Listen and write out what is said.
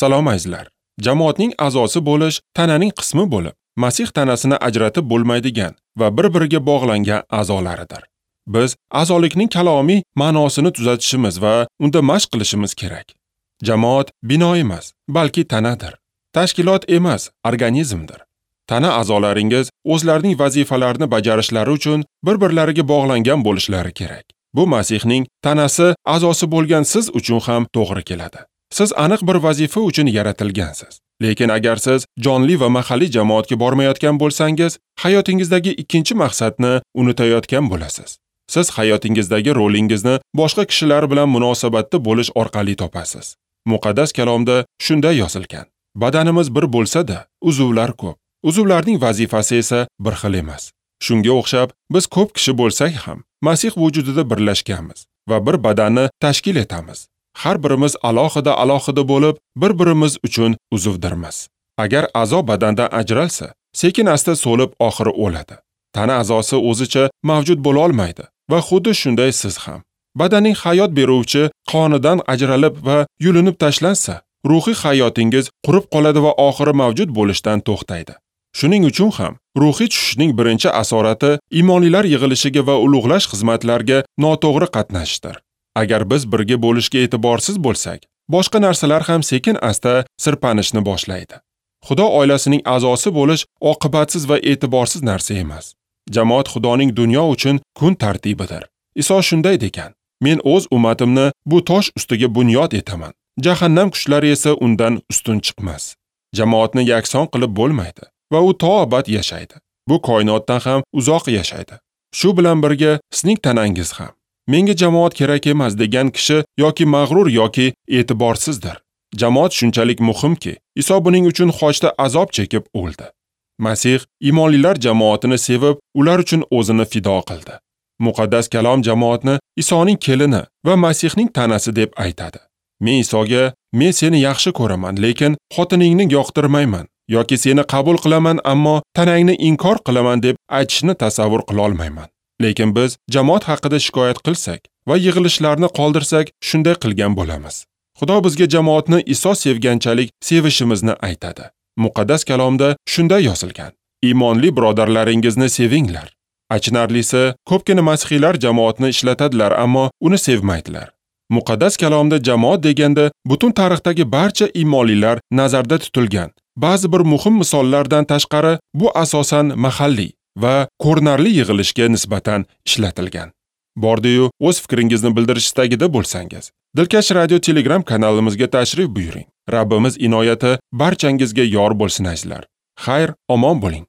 Salom azizlar. Jamoatning a'zosi bo'lish tananing qismi bo'lib, Masih tanasini ajratib bo'lmaydigan va bir-biriga bog'langan a'zolaridir. Biz a'zolikning kalomiy ma'nosini tuzatishimiz va unda mashq qilishimiz kerak. Jamoat bino emas, balki tanadir. Tashkilot emas, organizmdir. Tana a'zolaringiz o'zlarining vazifalarini bajarishlari uchun bir-birlariga bog'langan bo'lishlari kerak. Bu Masihning tanasi a'zosi bo'lgan siz uchun ham to'g'ri keladi. Siz aniq bir vazifa uchun yaratilgansiz. Lekin agar siz jonli va mahalliy jamoatga bormayotgan bo'lsangiz, hayotingizdagi ikkinchi maqsadni unutayotgan bo'lasiz. Siz hayotingizdagi rolingizni boshqa kishilar bilan munosabatda bo'lish orqali topasiz. Muqaddas kalomda shunday yozilgan: Badanimiz bir bo'lsa-da, uzvlar ko'p. Uzvlarning vazifasi esa bir xil emas. Shunga o'xshab, biz ko'p kishi bo'lsak ham, Masih vujudida birlashganmiz va bir badanni tashkil etamiz. Har birimiz alohida-alohida bo'lib, bir-birimiz uchun uzvdirmiz. Agar a'zo badandan ajralsa, sekin-asta so'lib oxiri o'ladi. Tana a'zosi o'zicha mavjud bo'la olmaydi va xuddi shunday siz ham. Badanning hayot beruvchi qonidan ajralib va yulinib tashlansa, ruhiy hayotingiz qurib qoladi va oxiri mavjud bo'lishdan to'xtaydi. Shuning uchun ham ruhiy tushishning birinchi asorati iymonlilar yig'ilishiga va ulug'lash xizmatlariga noto'g'ri qatnashishdir. Agar biz birga bo'lishga e'tiborsiz bo'lsak, boshqa narsalar ham sekin-asta sirpanishni boshlaydi. Xudo oilasining a'zosi bo'lish oqibatsiz va e'tiborsiz narsa emas. Jamoat Xudoning dunyo uchun kun tartibidir. Iso shunday degan: Men o'z ummatimni bu tosh ustiga bunyod etaman. Jahannam kuchlari esa undan ustun chiqmas. Jamoatni yakson qilib bo'lmaydi va u to abad yashaydi. Bu koinotdan ham uzoq yashaydi. Shu bilan birga sizning tanangiz ham. Menga jamoat kerak emas degan kishi yoki mag'rur yoki e'tiborsizdir. Jamoat shunchalik muhimki, Iso buning uchun xochda azob chekib o'ldi. Masih iymonlilar jamoatini sevib, ular uchun o'zini fido qildi. Muqaddas kalom jamoatni Isoning kelini va Masihning tanasi deb aytadi. Men Isoga: "Men seni yaxshi ko'raman, lekin xotiningni yoqtirmayman" yoki "Seni qabul qilaman, ammo tanangni inkor qilaman" deb aytishni tasavvur qila olmayman. Lekin biz jamoat haqida shikoyat qilsak va yig'ilishlarni qoldirsak, shunday qilgan bo'lamiz. Xudo bizga jamoatni Iso sevganchalik sevishimizni aytadi. Muqaddas kalomda shunday yozilgan: Iymonli birodarlaringizni sevinglar. Achinarlisi, ko'pgina masihiylar jamoatni ishlatadilar, ammo uni sevmaydilar. Muqaddas kalomda jamoat deganda butun tarixdagi barcha iymonlilar nazarda tutilgan. Ba'zi bir muhim misollardan tashqari, bu asosan mahalliy va ko'rinarli yig'ilishga nisbatan ishlatilgan. Bordi-yu, o'z fikringizni bildirish istagida bo'lsangiz, Dilkash Radio Telegram kanalimizga tashrif buyuring. Rabbimiz inoyati barchangizga yor bo'lsin azizlar. Xayr, omon bo'ling.